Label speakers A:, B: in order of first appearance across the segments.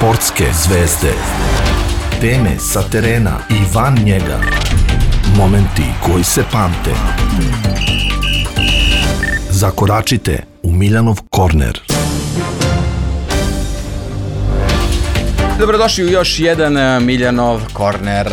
A: Sportske zvezde. Teme sa terena i van njega. Momenti koji se pamte. Zakoračite u Miljanov korner.
B: Dobrodošli u još jedan Miljanov korner.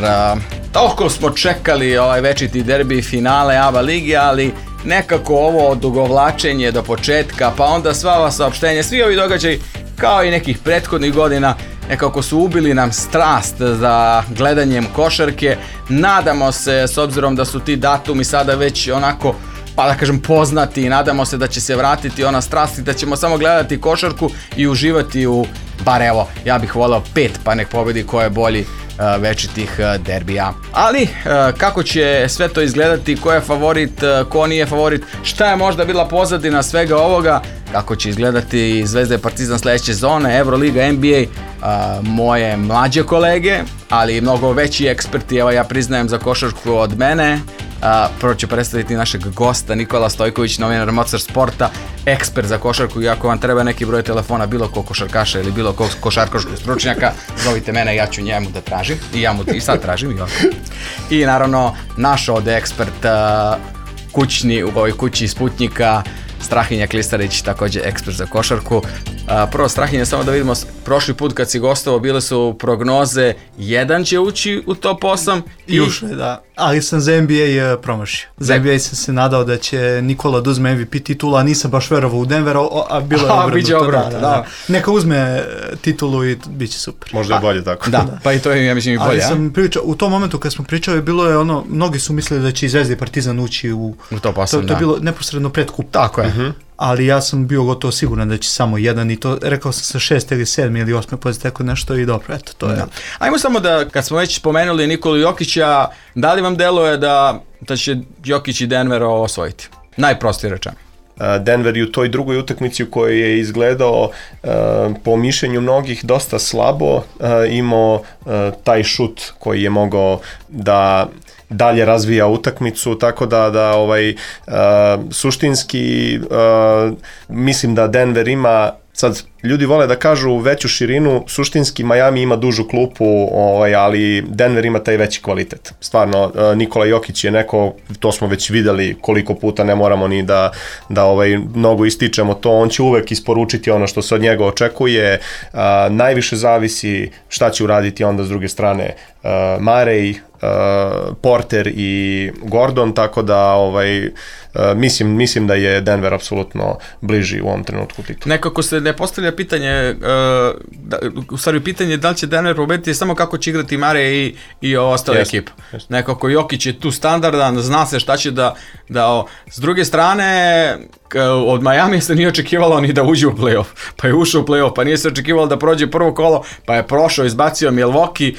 B: Toliko smo čekali ovaj večiti derbi finale ABA ligi, ali nekako ovo odugovlačenje do početka, pa onda sva ova saopštenja, svi ovi događaji, kao i nekih prethodnih godina, nekako su ubili nam strast za gledanjem košarke. Nadamo se, s obzirom da su ti datumi sada već onako, pa da kažem, poznati, nadamo se da će se vratiti ona strast i da ćemo samo gledati košarku i uživati u, bar evo, ja bih voleo 5, pa nek pobedi ko je bolji večitih derbija. Ali kako će sve to izgledati, ko je favorit, ko nije favorit, šta je možda bila pozadina svega ovoga, kako će izgledati Zvezda i Partizan sljedeće sezone, Euroliga, NBA, moje mlađe kolege, ali i mnogo veći eksperti, evo ja priznajem, za košarku od mene. Prvo ću predstaviti našeg gosta, Nikola Stojković, novinar Mocar Sporta, ekspert za košarku, i ako vam treba neki broj telefona bilo ko košarkaša ili bilo ko košarkaškog stručnjaka, zovite mene, ja ću njemu da tražim, i ja mu i sad tražim. I naravno naš ovdje ekspert kućni u ovoj kući Sputnjika, Strahinja Klistarić, također ekspert za košarku. Prvo, Strahinja, samo da vidimo, prošli put kad si gostovao bile su prognoze, jedan će ući u top 8
C: i ušli, da, ali sam za NBA promašio. Za NBA sam se nadao da će Nikola da uzme MVP titulu, a nisam baš verovao u Denver, a bilo je obrnuto. Da. Neka uzme titulu i bit će super.
D: Možda je bolje tako.
B: Da, pa i to je, ja mislim, i bolje.
C: Ali sam pričao, u tom momentu kad smo pričali, bilo je ono, mnogi su mislili da će i Zvezda i Partizan ući u
B: top 8,
C: to je bilo neposredno pred kup.
B: Tako je.
C: Ali ja sam bio gotovo siguran da će samo jedan, i to rekao sam sa 6. ili 7. ili 8. pozicije, tako nešto, i dobro, eto, to je.
B: Da. Ajmo samo da, kad smo već spomenuli Nikolu Jokića, da li vam deluje da će Jokić i Denver osvojiti? Najprostije rečeno.
D: Denver je u toj drugoj utakmici u kojoj je izgledao po mišljenju mnogih dosta slabo, imao taj šut koji je mogao da dalje razvija utakmicu, tako da suštinski mislim da Denver ima, sad ljudi vole da kažu veću širinu, suštinski Miami ima dužu klupu, ali Denver ima taj veći kvalitet. Stvarno, Nikola Jokić je neko, to smo već videli koliko puta, ne moramo ni da mnogo ističemo to, on će uvek isporučiti ono što se od njega očekuje, najviše zavisi šta će uraditi onda s druge strane Murray, Porter i Gordon, tako da mislim da je Denver apsolutno bliži u ovom trenutku titulu.
B: Nekako se ne postavlja pitanje, u stvari pitanje da li će Denver pobediti, samo kako će igrati Murray i ostale ekipe. Nekako Jokić je tu standardan, zna se šta će da s druge strane, od Miami se nije očekivalo ni da uđe u play-off, pa je ušao u play-off, pa nije se očekivalo da prođe prvo kolo, pa je prošao, izbacio Milwaukee,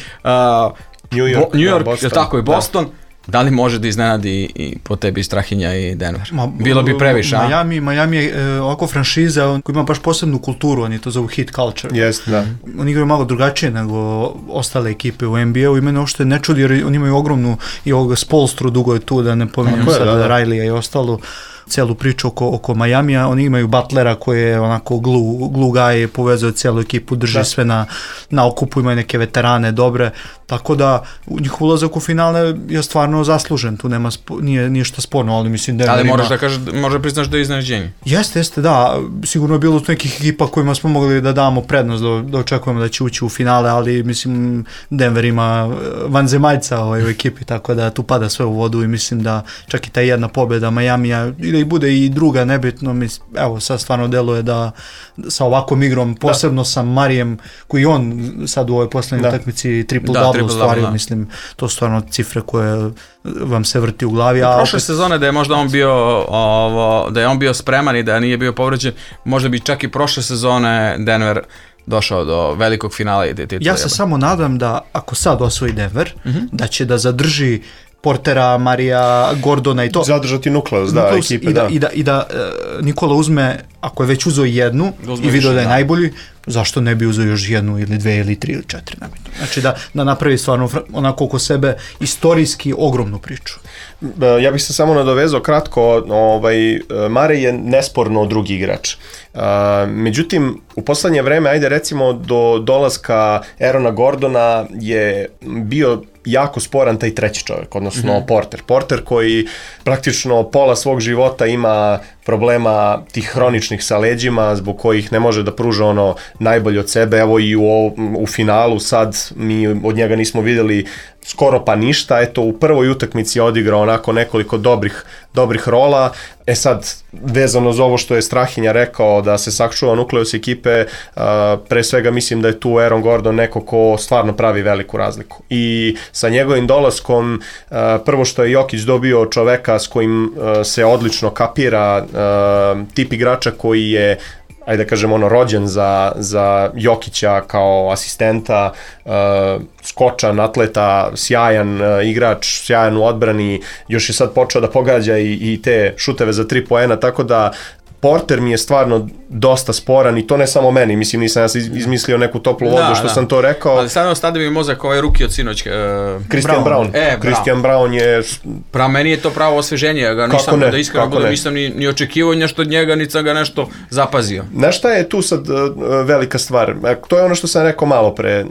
B: New York, je tako, i Boston. Da li može da iznenadi i po tebi Strahinja i Denver? Bilo bi previše, a?
C: Miami je ovako franšiza koja ima baš posebnu kulturu, oni to zovu hit culture.
D: Yes, da.
C: Oni igraju malo drugačije nego ostale ekipe u NBA-u, i mene uopšte ne čudi jer oni imaju ogromnu, i ovoga Spolstru dugo je tu, da ne pominjem sada Riley i ostalo, celu priču oko Majamija. Oni imaju Butlera koji je onako glue guy, povezuje celu ekipu, drži sve na okupu, imaju neke veterane dobre, tako da njihov ulazak u finale je stvarno zaslužen, tu nema nije ništa sporno, ali mislim da
B: ali moraš da kažeš, možda priznaš da je iznenađenje.
C: Jeste, da, sigurno je bilo nekih ekipa kojima smo mogli da damo prednost, da očekujemo da će ući u finale, ali mislim Denver ima vanzemaljca u ekipi, tako da tu pada sve u vodu, i mislim da čak i ta jedna pobjeda Majamija, i bude i druga, nebitno, evo sad stvarno deluje da sa ovakvom igrom, posebno sa Marijem, koji on sad u ovoj posljednjoj utakmici triple-double ostvario, mislim, to su stvarno cifre koje vam se vrti u glavi.
B: Prošle sezone da je možda on bio da je on bio spreman i da nije bio povređen, možda bi čak i prošle sezone Denver došao do velikog finala i titula.
C: Ja se samo nadam da ako sad osvoji Denver, da će da zadrži Portera, Marija, Gordona i to.
D: Zadržati nukleus, da, ekipe,
C: I da Nikola uzme, ako je već uzeo jednu i vidio da je najbolji, zašto ne bi uzeo još jednu ili dve ili tri ili četiri. Znači da napravi stvarno onako oko sebe istorijski ogromnu priču.
D: Ja bih se samo nadovezao kratko, Marej je nesporno drugi igrač. Međutim, u poslednje vreme, ajde recimo do dolaska Aarona Gordona je bio jako sporan taj treći čovjek, odnosno Porter. Porter koji praktično pola svog života ima problema tih hroničnih sa leđima zbog kojih ne može da pruža ono najbolje od sebe. Evo i u finalu sad mi od njega nismo vidjeli skoro pa ništa. Eto, u prvoj utakmici je odigrao onako nekoliko dobrih rola. Sad, vezano za ovo što je Strahinja rekao da se sačuva nukleus ekipe, pre svega mislim da je tu Aaron Gordon neko ko stvarno pravi veliku razliku. I sa njegovim dolaskom, prvo što je Jokić dobio čoveka s kojim se odlično kapira, tip igrača koji je, ajde da kažem, rođen za Jokića kao asistenta, skočan, atleta, sjajan igrač, sjajan u odbrani, još je sad počeo da pogađa i te šuteve za 3 poena, tako da Porter mi je stvarno dosta sporan i to ne samo meni, mislim nisam ja izmislio neku toplu vodu što sam to rekao.
B: Ali sad stade mi mozak ovaj ruki od sinoć.
D: Christian Braun. Christian Braun je...
B: Meni je to pravo osveženje, ja ga nisam, da iskreno budem, nisam ni očekivao nešto od njega, niti sam ga nešto zapazio.
D: Znaš šta je tu sad velika stvar? To je ono što sam rekao malo pre.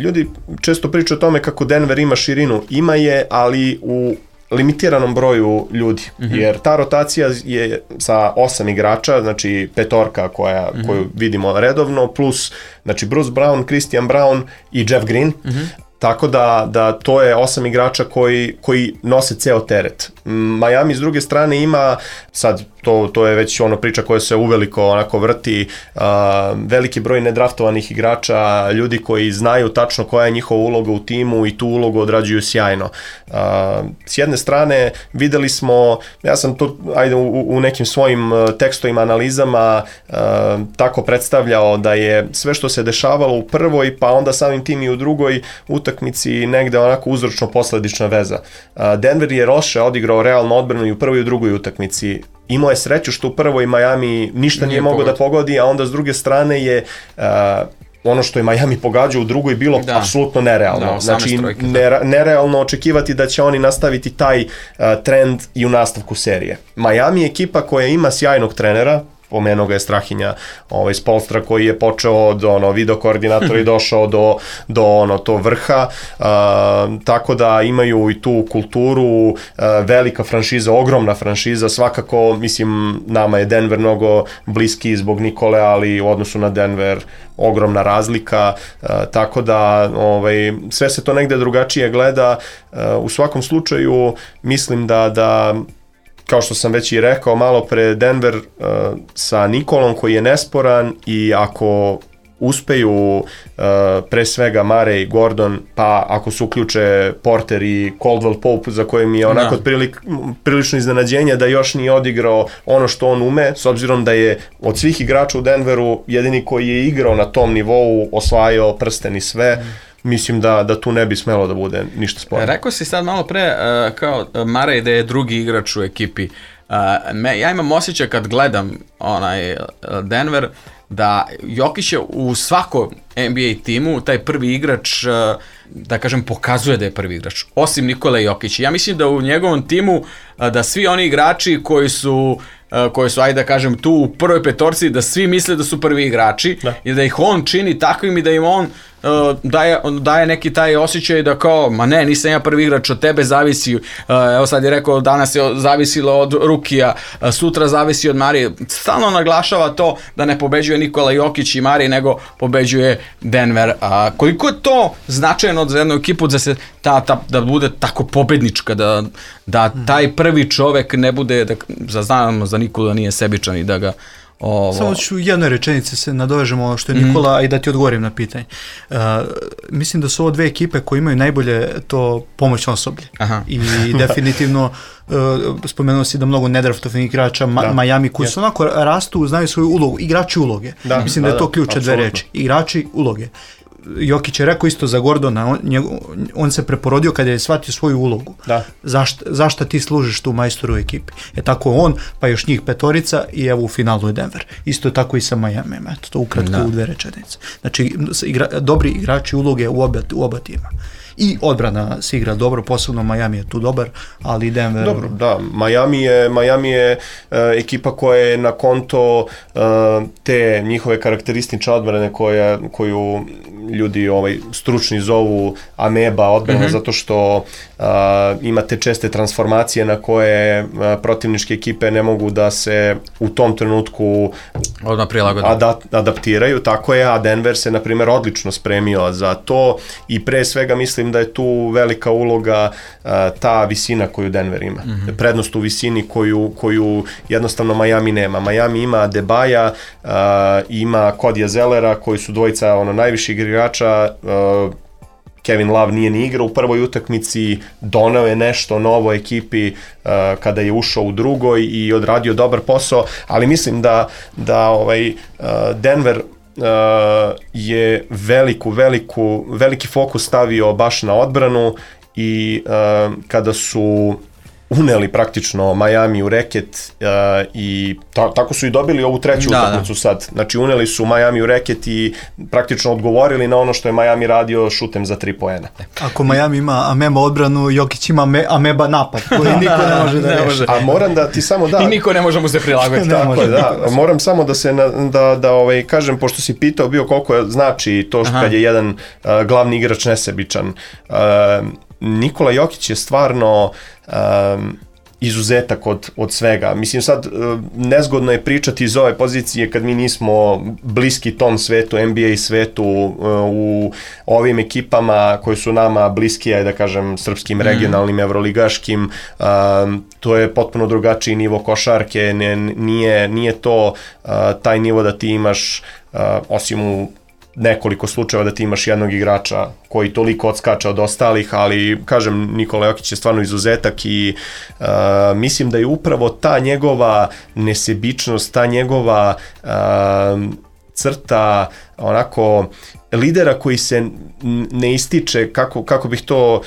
D: Ljudi često pričaju o tome kako Denver ima širinu. Ima je, ali u limitiranom broju ljudi, jer ta rotacija je sa 8 igrača, znači petorka koju vidimo redovno, plus znači Bruce Brown, Christian Braun i Jeff Green, tako da to je 8 igrača koji nose ceo teret. Miami s druge strane ima, sad to je već priča koja se uveliko onako vrti, veliki broj nedraftovanih igrača, ljudi koji znaju tačno koja je njihova uloga u timu i tu ulogu odrađuju sjajno. S jedne strane videli smo, ja sam to u nekim svojim tekstovima, analizama tako predstavljao da je sve što se dešavalo u prvoj, pa onda samim tim i u drugoj utakmici negde onako uzročno-posledična veza. Denver je loše odigrao realno odbranu i u prvoj i u drugoj utakmici. Imao je sreću što u prvoj Miami ništa nije mogao da pogodi, a onda s druge strane je ono što je Miami pogađao u drugoj bilo apsolutno nerealno. Znači, nerealno očekivati da će oni nastaviti taj trend i u nastavku serije. Miami je ekipa koja ima sjajnog trenera, pomenuo ga je Strahinja iz Polstra koji je počeo od video koordinatora i došao do to vrha, tako da imaju i tu kulturu, velika franšiza, ogromna franšiza, svakako mislim nama je Denver mnogo bliski zbog Nikole, ali u odnosu na Denver ogromna razlika, tako da sve se to negde drugačije gleda. U svakom slučaju mislim da kao što sam već i rekao malo pre, Denver sa Nikolom koji je nesporan i ako uspeju pre svega Marej, Gordon, pa ako se uključe Porter i Caldwell Pope za kojim je onako prilično iznenađenje da još nije odigrao ono što on ume, s obzirom da je od svih igrača u Denveru jedini koji je igrao na tom nivou, osvajao prsten i sve. Mislim da tu ne bi smelo da bude ništa sporno.
B: Rekao si sad malo pre kao Marej da je drugi igrač u ekipi. Ja imam osjećaj kad gledam Denver da Jokić je u svakom NBA timu taj prvi igrač, da kažem, pokazuje da je prvi igrač, osim Nikola Jokića. Ja mislim da u njegovom timu da svi oni igrači koji su, ajde da kažem, tu u prvoj petorci, da svi misle da su prvi igrači i da ih on čini takvim i da im on daje neki taj osjećaj da kao, ma ne, nisam ja prvi igrač, od tebe zavisi, evo sad je rekao, danas je zavisilo od Rukija, sutra zavisi od Marije, stalno naglašava to da ne pobeđuje Nikola Jokić i Marije, nego pobeđuje Denver. Koliko je to značajno za jednu ekipu da se da bude tako pobednička, da taj prvi čovek ne bude, znamo za Nikolu da nije sebičan i da ga
C: Samo ću jednoj rečenici se nadovežemo ono što je Nikola, a i da ti odgovorim na pitanje. Mislim da su ovo dve ekipe koje imaju najbolje to pomoćno osoblje. I definitivno spomenuo si da mnogo nedraftovanih igrača Miami koji su onako rastu, znaju svoju ulogu, igrači uloge. Mislim da je to ključ dve reči. Igrači uloge. Jokić je rekao isto za Gordona, on se preporodio kada je shvatio svoju ulogu.
D: Da.
C: Zašto ti služiš tu majstoru u ekipi? Tako on, pa još njih petorica i evo u finalu je Denver. Isto tako i sa Miami, eto to ukratko u 2 rečenice. Znači, dobri igrači uloge u oba tima. I odbrana se igra dobro, posebno Miami je tu dobar, ali Denver...
D: Dobro, da, Miami je ekipa koja je na konto te njihove karakteristične odbrane koju ljudi stručni zovu ameba odbrana, zato što imate česte transformacije na koje protivničke ekipe ne mogu da se u tom trenutku
B: odmah prilagode.
D: Adaptiraju, tako je, a Denver se, na primjer, odlično spremio za to i pre svega mislim da je tu velika uloga ta visina koju Denver ima. Prednost u visini koju jednostavno Miami nema. Miami ima Adebaja, ima Kodija Zellera, koji su dvojica najviših igrača. Kevin Love nije ni igrao u prvoj utakmici, doneo je nešto novo ekipi kada je ušao u drugoj i odradio dobar posao, ali mislim da Denver je veliki fokus stavio baš na odbranu i kada su uneli praktično Miami u reket i tako su i dobili ovu treću utakmicu sad. Znači uneli su Miami u reket i praktično odgovorili na ono što je Miami radio šutem za 3 poena.
C: Ako Miami ima ameba odbranu, Jokić ima ameba napad koji niko ne može da reši.
D: A moram da ti samo
B: I niko ne može mu se prilagoditi.
D: Tako je, da. Moram samo da kažem, pošto si pitao bio koliko znači to kad je jedan glavni igrač nesebičan. Nikola Jokić je stvarno izuzetak od svega. Mislim, sad nezgodno je pričati iz ove pozicije kad mi nismo bliski tom svetu, NBA svetu, u ovim ekipama koji su nama bliski, da kažem, srpskim, regionalnim, evroligaškim. To je potpuno drugačiji nivo košarke, nije to taj nivo da ti imaš, osim u nekoliko slučajeva da ti imaš jednog igrača koji toliko odskača od ostalih, ali kažem, Nikola Jokić je stvarno izuzetak i mislim da je upravo ta njegova nesebičnost, ta njegova crta onako lidera koji se ne ističe, kako bih to,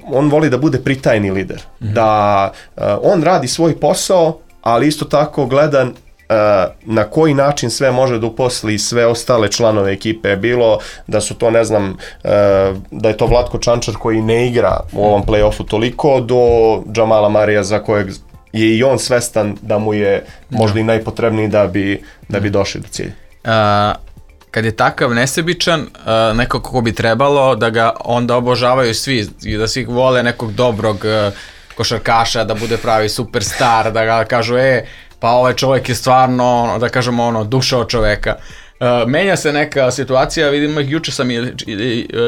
D: on voli da bude pritajni lider, da on radi svoj posao, ali isto tako gleda na koji način sve može da uposli sve ostale članove ekipe, bilo da su to, ne znam, da je to Vlatko Čančar koji ne igra u ovom play-offu toliko, do Džamala Marija za kojeg je i on svestan da mu je možda i najpotrebniji da bi došli do cilja.
B: Kad je takav nesebičan, nekako ko bi trebalo da ga onda obožavaju svi i da svi vole nekog dobrog košarkaša, da bude pravi superstar, da ga kažu pa ovaj čovjek je stvarno, da kažemo, duša od čoveka. Menja se neka situacija, vidimo, juče sam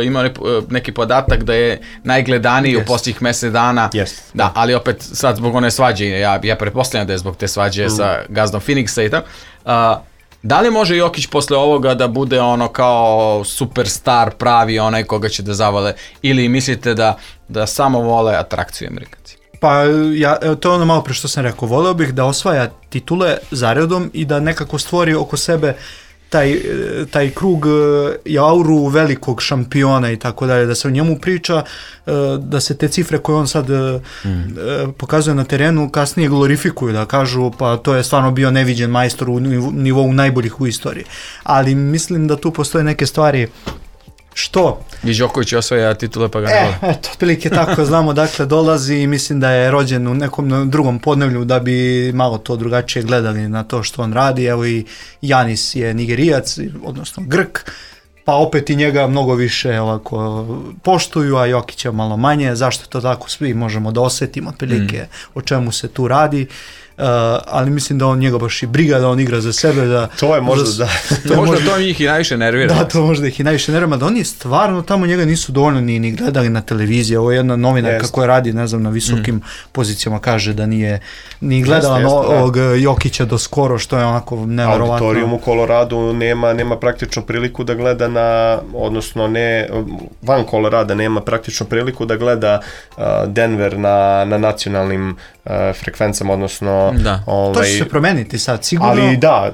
B: imao neki podatak da je najgledaniji u posljednjih mjesec dana. Da, ali opet sad zbog one svađe, ja pretpostavljam da je zbog te svađe sa gazdom Phoenixa i tako. Da li može Jokić posle ovoga da bude kao superstar pravi, onaj koga će da zavale, ili mislite da samo vole atrakciju Amerikanci?
C: Pa to je ono malo pre što sam rekao, voleo bih da osvaja titule zaredom i da nekako stvori oko sebe taj krug i auru velikog šampiona i tako dalje, da se o njemu priča, da se te cifre koje on sad pokazuje na terenu kasnije glorifikuju, da kažu pa to je stvarno bio neviđen majstor u nivou najboljih u istoriji. Ali mislim da tu postoje neke stvari. Što?
B: I Đoković osvaja titule pa ga ne vole.
C: Eto, otprilike tako, znamo dakle dolazi i mislim da je rođen u nekom drugom podneblju da bi malo to drugačije gledali na to što on radi. Evo i Janis je Nigerijac, odnosno Grk, pa opet i njega mnogo više ovako poštuju, a Jokića malo manje. Zašto to tako, svi možemo da osjetimo otprilike o čemu se tu radi. Ali mislim da on njega baš i briga da on igra za sebe.
D: To je možda
B: to njih i najviše nervira.
C: Da, to možda ih i najviše nervira, da oni stvarno tamo njega nisu dovoljno ni gledali na televiziji. Ovo je jedna novinarka koja radi, ne znam, na visokim pozicijama, kaže da nije ni gledala ovog Jokića do skoro, što je onako neverovatno.
D: Auditorijum u Koloradu nema praktično priliku da gleda odnosno van Kolorada nema praktično priliku da gleda Denver na nacionalnim frekvencama, odnosno...
B: Da.
C: To će se promeniti sad, sigurno.
D: Ali da,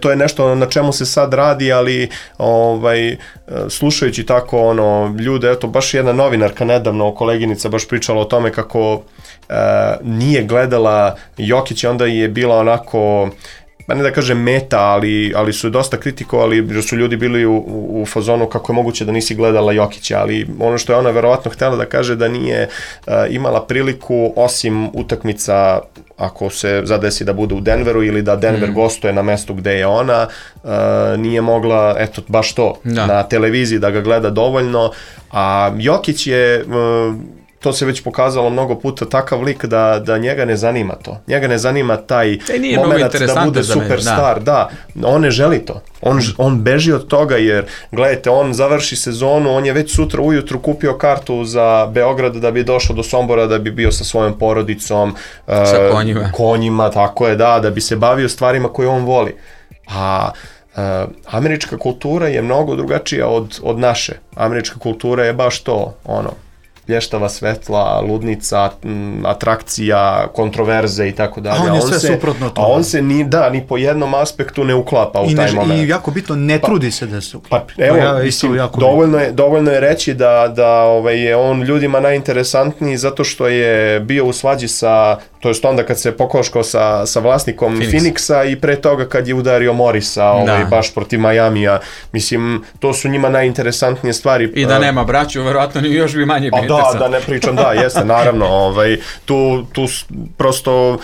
D: to je nešto na čemu se sad radi, ali slušajući tako ljude, eto, baš jedna novinarka nedavno, koleginica, baš pričala o tome kako nije gledala Jokića, onda je bila onako... pa ne da kažem meta, ali su dosta kritikovali, jer su ljudi bili u fazonu kako je moguće da nisi gledala Jokića, ali ono što je ona verovatno htjela da kaže da nije imala priliku, osim utakmica ako se zadesi da bude u Denveru ili da Denver gostuje na mestu gde je ona, nije mogla, eto, baš to, na televiziji da ga gleda dovoljno, a Jokić je... to se već pokazalo mnogo puta, takav lik da njega ne zanima to. Njega ne zanima taj moment da bude superstar. Da, on ne želi to. On beži od toga jer, gledajte, on završi sezonu, on je već sutra ujutru kupio kartu za Beograd da bi došao do Sombora, da bi bio sa svojom porodicom,
B: sa
D: konjima, tako je, da bi se bavio stvarima koje on voli. A američka kultura je mnogo drugačija od naše. Američka kultura je baš to, blještava svetla, ludnica, atrakcija, kontroverze i tako dalje.
C: A on je sve suprotno to.
D: A on se ni po jednom aspektu ne uklapa u taj moment.
C: I jako bitno, ne trudi se da se uklapi.
D: Pa evo, dovoljno je reći da je on ljudima najinteresantniji zato što je bio u svađi to jest onda kad se pokoškao sa vlasnikom Phoenixa i pre toga kad je udario Morisa baš protiv Majamija. Mislim, to su njima najinteresantnije stvari.
B: I da nema braću, verovatno ni još bi manje bio.
D: Da ne pričam, jeste, naravno, tu prosto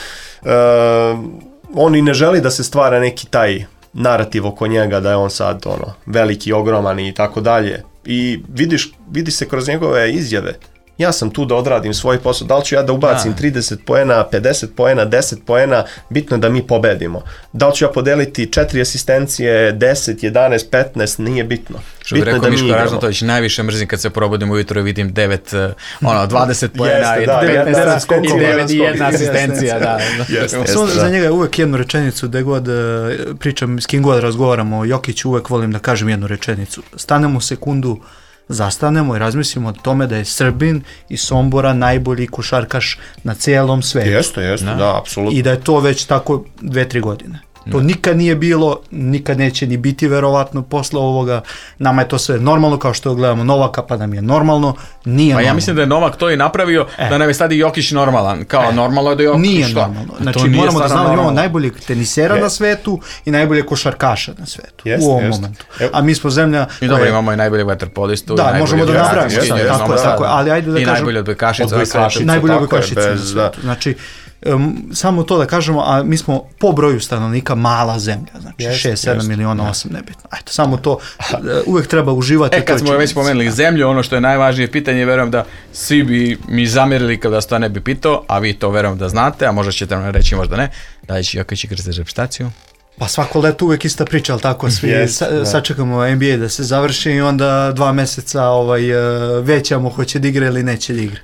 D: on i ne želi da se stvara neki taj narativ oko njega da je on sad veliki, ogroman i tako dalje. I vidi se kroz njegove izjave. Ja sam tu da odradim svoj posao, da li ću ja da ubacim 30 poena, 50 poena, 10 poena, bitno je da mi pobedimo. Da li ću ja podeliti 4 asistencije, 10, 11, 15, nije bitno.
B: Što bi rekao Miško Ražnatović, najviše mrzim kad se probudim ujutro i vidim 20 poena i 9 i jedna asistencija.
C: Za njega je uvek jednu rečenicu, gde god pričam, s kim god razgovaramo o Jokiću, uvek volim da kažem jednu rečenicu. Stanemo sekundu, zastanemo i razmislimo o tome da je Srbin iz Sombora najbolji košarkaš na cijelom svetu.
D: Jeste, da, apsolutno.
C: I da je to već tako 2-3 godine. To nikad nije bilo, nikad neće ni biti verovatno posle ovoga. Nama je to sve normalno, kao što gledamo Novaka, pa nam je normalno. Nije normalno.
B: Ja mislim da je Novak to i napravio, da nam je sad i Jokić normalan. Kao normalno je da Jokić
C: nije normalno. Znači moramo da znamo da imamo najboljeg tenisera na svetu i najboljeg košarkaša na svetu u ovom momentu. A mi smo zemlja...
B: I dobro, imamo i najboljeg vaterpolistu.
C: Da, možemo da napravimo. Tako, ali ajde da kažem...
B: I najbolje odbojkašica na svetu.
C: Najbolje odbojkašica na svetu. Znači, samo to da kažemo, a mi smo po broju stanovnika mala zemlja, znači 6-7 miliona, 8, nebitno. Ajde, samo to, uvek treba uživati.
B: Kad smo već pomenuli zemlju, ono što je najvažnije pitanje, verujem da svi bi mi zamjerili kada se to ne bi pitao, a vi to verujem da znate, a možda ćete nam reći, možda ne, da li će Jokić igrati za reprezentaciju?
C: Pa svako leto uvek ista priča, ali tako, svi sačekamo NBA da se završi i onda 2 meseca većamo hoće da igra ili neće da igra.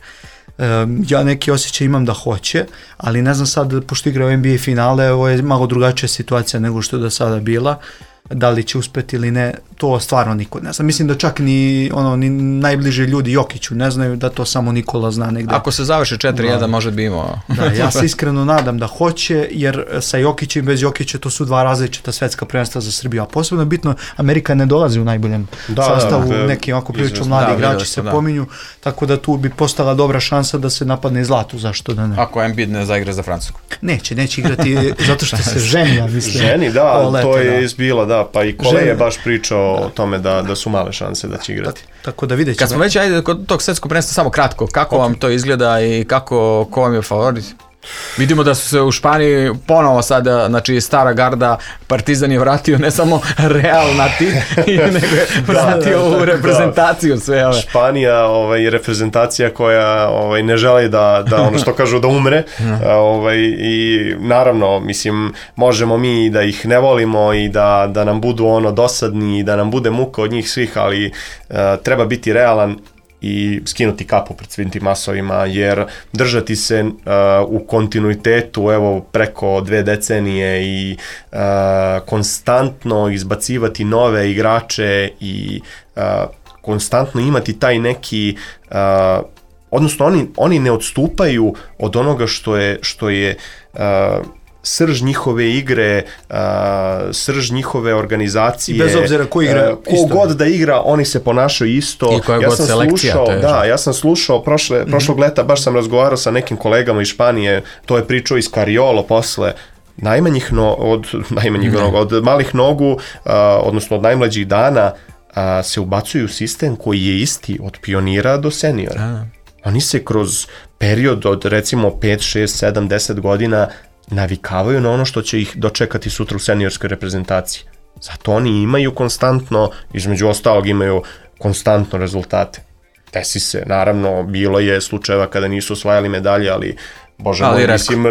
C: Ja neki osjećaj imam da hoće, ali ne znam sad, pošto igra u NBA finale, ovo je malo drugačija situacija nego što je do sada bila. Da li će uspeti ili ne, to stvarno niko ne zna. Mislim da čak ni najbliži ljudi Jokiću ne znaju, da to samo Nikola zna negde.
B: Ako se završi 4-1, možda bi imao.
C: Da, ja se iskreno nadam da hoće, jer sa Jokićem i bez Jokića to su 2 različita svetska prvenstva za Srbiju. A posebno bitno, Amerika ne dolazi u najboljem sastavu, neki ovako prilično mladi igrači se pominju, tako da tu bi postala dobra šansa da se napadne zlatu, zašto da ne.
B: Ako Embiid ne zaigra za Francusku.
C: Neće igrati zato što se ženi, mislim.
D: Ženi, da, to je izbilo, da, pa i Kole je baš pričao o tome da su male šanse da će igrati.
C: Tako da vidjet ćemo.
B: Kad smo već, ajde, kod tog svetskog prvenstva samo kratko, kako vam to izgleda i ko vam je favorit? Vidimo da su se u Španiji ponovo sada, znači stara garda, Partizan je vratio ne samo Real na nego je vratio u reprezentaciju sve ove.
D: Španija je reprezentacija koja ne želi da ono što kažu da umre i naravno, mislim, možemo mi da ih ne volimo i da nam budu dosadni i da nam bude muka od njih svih, ali treba biti realan i skinuti kapu pred svim tim masovima, jer držati se u kontinuitetu preko 2 decenije i konstantno izbacivati nove igrače i konstantno imati taj neki odnosno oni ne odstupaju od onoga što je srž njihove igre, srž njihove organizacije.
C: I bez obzira ko igra
D: isto. God da igra, oni se ponašaju isto.
B: I koja god selekcija.
D: Ja sam slušao prošlog leta, baš sam razgovarao sa nekim kolegama iz Španije, to je pričao iz Cariolo posle, od malih nogu, odnosno od najmlađih dana, se ubacuju u sistem koji je isti od pionira do seniora. Oni se kroz period od recimo 5, 6, 7, 10 godina navikavaju na ono što će ih dočekati sutra u seniorskoj reprezentaciji. Zato oni imaju konstantno, između ostalog imaju konstantno rezultate. Desi se, naravno, bilo je slučajeva kada nisu osvajali medalje, ali Bože moj, mislim,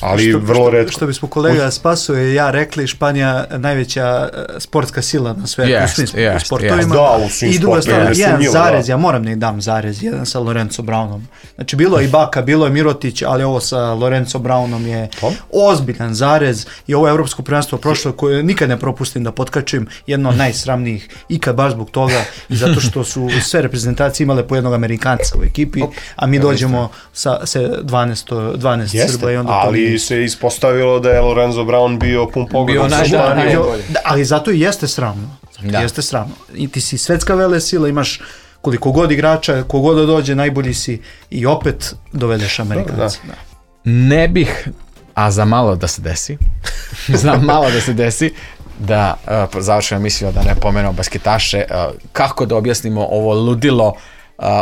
D: ali vrlo retko.
C: Što bismo kolega Spaso i ja rekli, Španija najveća sportska sila na svetu, u svim sportovima.
D: Da, u svim sportovima.
C: I druga stvar, jedan zarez, ja moram da im dam zarez, jedan sa Lorenzo Brownom. Znači, bilo je i Baka, bilo je Mirotić, ali ovo sa Lorenzo Brownom je ozbiljan zarez i ovo evropsko prvenstvo prošlo koje nikad ne propustim da potkačim, jedno od najsramnijih ikad baš zbog toga i zato što su sve reprezentacije imale po jednog Amerikanca u ekipi, a mi dođemo sa 12 Srba i onda
D: ali se ispostavilo da je Lorenzo Brown bio pun pogodan sa Španijom.
C: Ali zato i jeste sramno. Jeste sramno. I ti si svetska velesila, imaš koliko god igrača, kogod da dođe, najbolji si i opet dovedeš Amerikanci.
B: Ne bih, a za malo da se desi, znam malo da se desi, da završimo emisiju, da ne pomenemo basketaše, kako da objasnimo ovo ludilo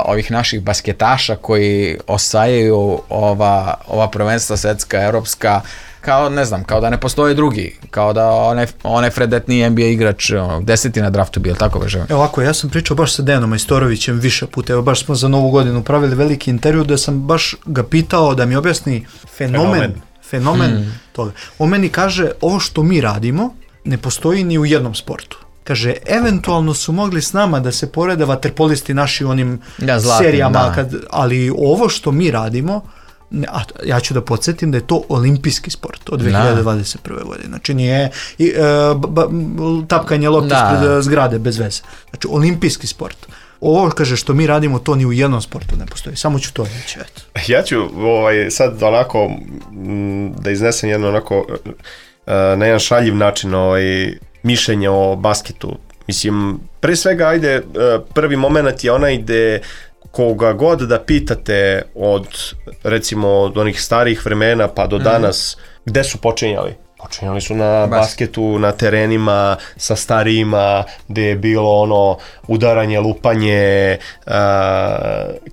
B: ovih naših basketaša koji osvajaju ova prvenstva svetska, evropska, kao ne znam, kao da ne postoje drugi, kao da onaj fredetniji NBA igrač 10. na draftu bio, tako veže.
C: Evo ovako, ja sam pričao baš sa Denom Majstorovićem više puta, evo baš smo za Novu godinu pravili veliki intervju da sam baš ga pitao da mi objasni fenomen toga. On meni kaže, ovo što mi radimo ne postoji ni u jednom sportu. Kaže, eventualno su mogli s nama da se porede vaterpolisti naši u onim serijama, ali ovo što mi radimo, ja ću da podsjetim da je to olimpijski sport od 2021. godine. Znači nije tapkanje lopte ispred zgrade bez veze. Znači olimpijski sport. Ovo, kaže, što mi radimo, to ni u jednom sportu ne postoji. Samo ću to reći.
D: Ja ću sad onako da iznesem jedno onako na jedan šaljiv način mišljenje o basketu. Mislim, pre svega, prvi moment je onaj gde koga god da pitate recimo od onih starih vremena pa do danas, gde su počinjali? Počinjali su na basketu, na terenima, sa starijima, gde je bilo udaranje, lupanje,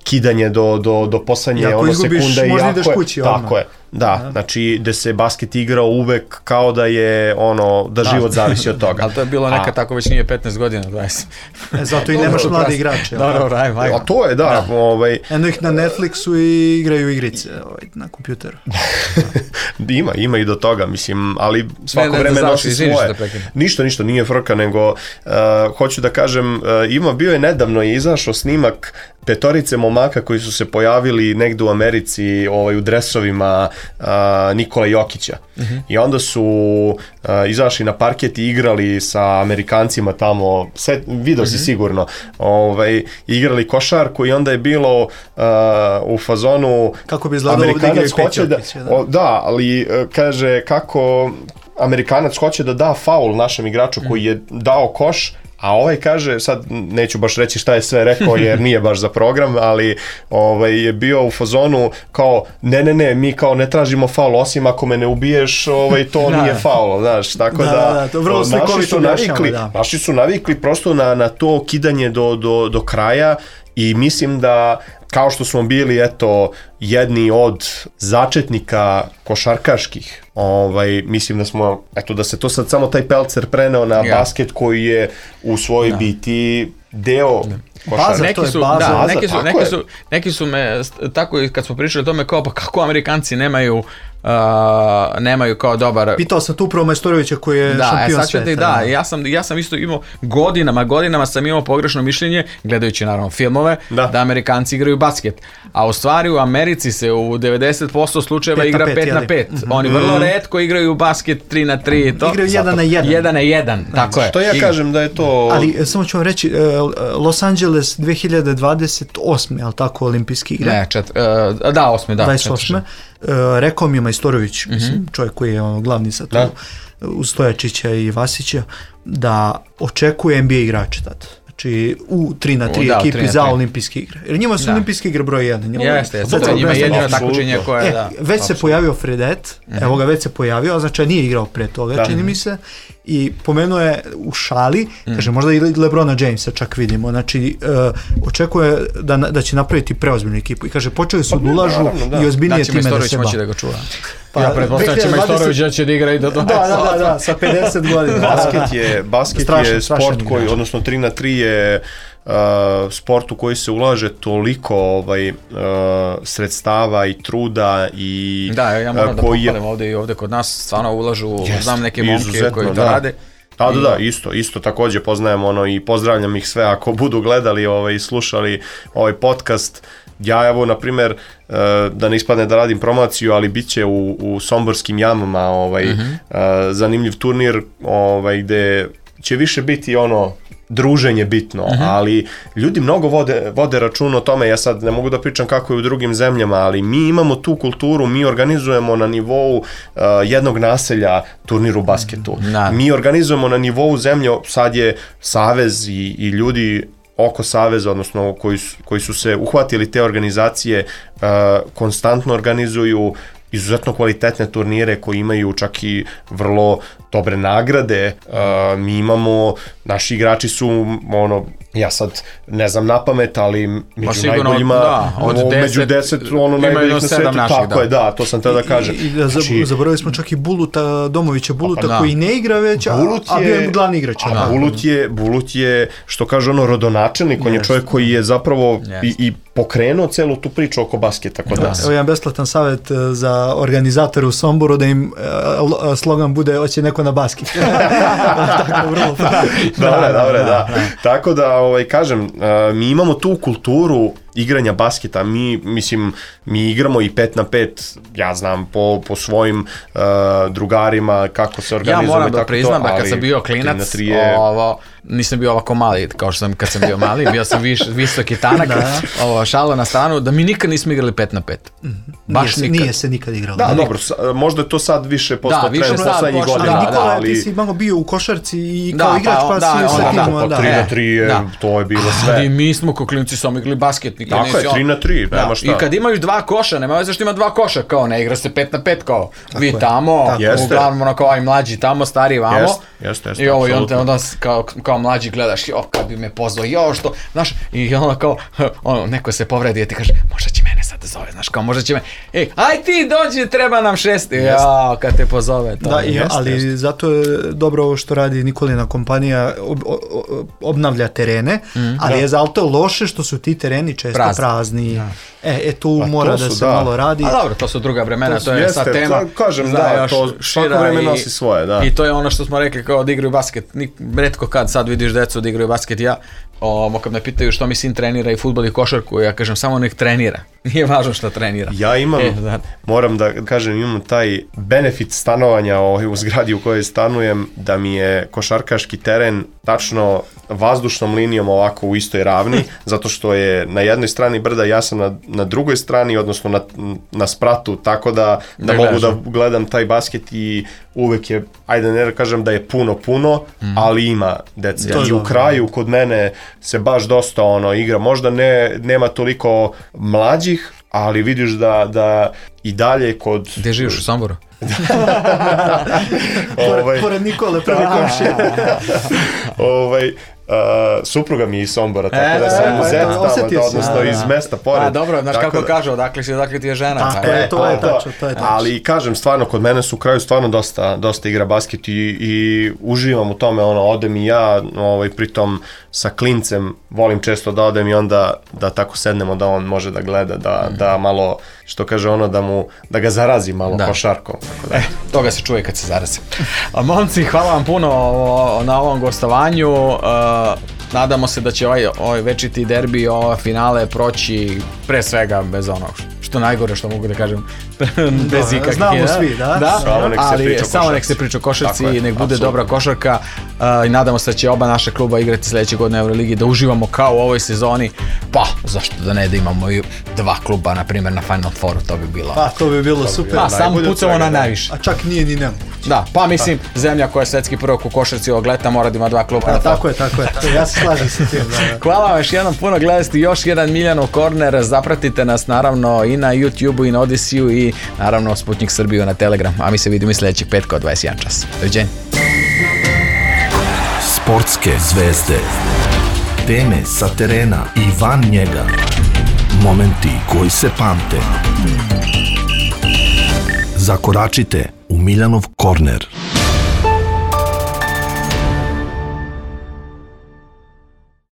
D: kidanje do poslednje sekunde.
C: Možda ideš kući.
D: Tako je. Da, znači gde se basket igrao uvek kao da je da život zavisi od toga.
B: Ali to je bilo nekad tako, već nije 15 godina, 20.
C: Zato i nemaš mlade igrače.
D: A to je, da.
C: Eno ih na Netflixu i igraju igrice na kompjuteru.
D: Ima i do toga, mislim, ali svako vreme nosi svoje. Ništa, nije frka, nego hoću da kažem, bio je nedavno izašao snimak 5 momaka koji su se pojavili negde u Americi u dresovima Nikola Jokića. I onda su izašli na parket i igrali sa Amerikancima tamo, video si sigurno, igrali košarku i onda je bilo u fazonu
C: kako bi izgledalo ovdje igraju Jokić.
D: Da, ali kaže kako Amerikanac hoće da da faul našem igraču koji je dao koš, a kaže, sad neću baš reći šta je sve rekao jer nije baš za program, ali je bio u fazonu kao ne, mi kao ne tražimo faul, osim ako me ne ubiješ, to nije faul, znaš, tako da
C: to vrlo slikovito
D: naši su navikli prosto na to kidanje do kraja i mislim da kao što smo bili jedni od začetnika košarkaških, mislim da smo, da se to sad samo taj pelcer preneo na basket koji je u svojoj biti deo košarke.
B: Neki su me, tako kad smo pričali o tome kao, pa kako Amerikanci nemaju kao dobar...
C: Pitao sam tu upravo Majstorovića koji je šampion sveta.
B: Da, ja sam isto imao godinama sam imao pogrešno mišljenje, gledajući naravno filmove, da Amerikanci igraju basket. A u stvari u Americi Americi se u 90% slučajeva igra 5 na 5. Oni vrlo retko igraju basket 3 na 3. To.
C: Igraju 1 na 1.
B: 1 na 1, tako je.
D: Što ja kažem da je to...
C: Ali samo ću vam reći, Los Angeles 2028. je li tako olimpijski igre?
B: Ne, 8. da.
C: 28. Rekao mi je Majstorović, mislim, čovjek koji je glavni sad tu, uz Stojačića i Vasića, da očekuje NBA igrače tad. Znači u 3 na 3 ekipi za olimpijske igre. Jer njima su olimpijske igre broj 1.
B: Jeste, njima je jedino takmičenje koje da.
C: Već se pojavio Fredet, evo ga već se pojavio, znači nije igrao pre toga, čini mi se, i pomenuo je u šali, kaže možda i LeBrona Jamesa čak vidimo, znači očekuje da će napraviti preozbiljnu ekipu i kaže počeli su da ulažu i ozbiljnije time da se
B: moći da ga čuva. Ja pretpostavljam će Majstorović da će da igra i do
C: Da, sa 50 godina.
D: Basket je sport koji, odnosno 3 na 3 je sport u koji se ulaže toliko sredstava i truda i
B: da, ja moram da pohvalim ovde kod nas stvarno ulažu, znam neke momke koji to rade.
D: Da, isto također poznajem i pozdravljam ih sve ako budu gledali i slušali ovaj podcast. Ja evo, na primjer, da ne ispadne da radim promociju, ali bit će u Somborskim jamama zanimljiv turnir gde će više biti druženje bitno, ali ljudi mnogo vode račun o tome. Ja sad ne mogu da pričam kako je u drugim zemljama, ali mi imamo tu kulturu, mi organizujemo na nivou jednog naselja turnir u basketu. Mi organizujemo na nivou zemlje, sad je savez i ljudi oko saveza, odnosno koji su se uhvatili te organizacije, konstantno organizuju izuzetno kvalitetne turnire koji imaju čak i vrlo dobre nagrade. Mi imamo, naši igrači su ja sad ne znam na pamet, ali među najboljima, među 10 najboljih na svetu, tako je, da, to sam tada da kažem.
C: I zaboravili smo čak i Domovića Buluta koji ne igra već, a bio je glavni igrač.
D: Bulut je, što kaže rodonačelnik, on je čovjek koji je zapravo i pokrenuo celu tu priču oko basketa kod nas.
C: Evo jedan besplatan savjet za organizatore u Somboru, da im slogan bude hoće neko na basket. Tako, vrlo.
D: Dobre, da. Tako da, kažem, mi imamo tu kulturu igranja basketa, mi igramo i 5 na 5, ja znam po svojim drugarima kako se organizujemo.
B: Ja moram da priznam da kad sam bio klinac, nisam bio ovako mali kao što sam kad sam bio mali, bio sam visoki tanak, šalo na stranu, da mi nikad nismo igrali 5 na 5.
C: Baš nikad. Nije se nikad igralo.
D: Da, dobro, možda je to sad više postao trend poslednjih godina.
C: Nikola, ti si malo bio u košarci i kao igrač, pa si sa tim.
D: 3 na 3 to je bilo sve.
B: Ali mi smo ko klinci samo igrali basket.
D: Tako je, 3 na 3, nema šta.
B: I kad imaju dva koša, nema veze što ima dva koša, kao ne igra se 5 na 5, kao vi tamo, uglavnom kao i mlađi tamo, stari vamo. I onda kao mlađi gledaš, kad bi me pozvao, što, znaš, i onda kao, neko se povredi i ti kaže, možda će mene sad da zove, znaš, kao možda će me, aj ti dođi, treba nam 6, kad te pozove.
C: Da, ali zato je dobro ovo što radi Nikolina kompanija, obnavlja terene, ali je zato loše što su ti tereni često prazni. Tu mora da se malo radi.
B: A dobro, to su druga vremena, to je sad tema.
D: Kažem, da, to svako vreme nosi svoje, da.
B: I to je ono što smo rekli kao da igraju basket. Retko kad sad vidiš decu da igraju basket, kad me pitaju što mi sin trenira i fudbal i košarku, ja kažem samo nek trenira. Nije važno što trenira.
D: Ja imam, moram da kažem, imam taj benefit stanovanja u zgradi u kojoj stanujem, da mi je košarkaški teren tačno vazdušnom linijom ovako u istoj ravni, zato što je na jednoj strani brda, ja sam na drugoj strani, odnosno na spratu, tako da mogu da gledam taj basket i uvek je, ajde ne kažem da je puno, ali ima dece. I u kraju kod mene se baš dosta igra, možda nema toliko mlađih, ali vidiš da i dalje kod...
B: Gde živiš, u Somboru?
C: Pored Nikole, prvi komšije.
D: Supruga mi je iz Sombora, tako da sam u Zet tamo, odnosno iz mesta pored.
B: Dobro, znaš kako kažu, odakle ti je žena.
C: Tako je, to je tačno.
D: Ali kažem, stvarno, kod mene su u kraju stvarno dosta igra basket i uživam u tome, odem i ja, pritom sa klincem volim često da odem i onda da tako sednemo da on može da gleda, da malo, što kaže da ga zarazi malo košarkom.
B: Toga se čuje kad se zarazi. Momci, hvala vam puno na ovom gostovanju. Nadamo se da će ovaj večiti derbi, ova finale proći pre svega bez onog što isto najgore što mogu da kažem. Bez ikakvih.
C: Znamo svi, da?
B: Samo nek se priča o košarci i nek bude dobra košarka i nadamo se da će oba naša kluba igrati sledeće godine u Euroligi, da uživamo kao u ovoj sezoni, pa zašto da ne da imamo i 2 kluba na primjer na Final Fouru, to bi bilo.
C: Pa to bi bilo super.
B: Pa samo pucamo na najviše.
C: A čak nije ni nemoguće.
B: Da, pa mislim zemlja koja je svetski prvak u košarci ovog leta mora da ima 2 kluba na
C: Tako je. Ja se slažem sa tim.
B: Hvala vam još jednom puno, gledajte još jedan Miljanov korner, zapratite nas naravno i na YouTube-u i na Odisiju i naravno Sputnik Srbiju na Telegram, a mi se vidimo i sledećeg petka od 21 čas. Doviđenja.
A: Sportske zvezde, teme sa terena i van njega, momenti koji se pamte. Zakoračite u Miljanov korner.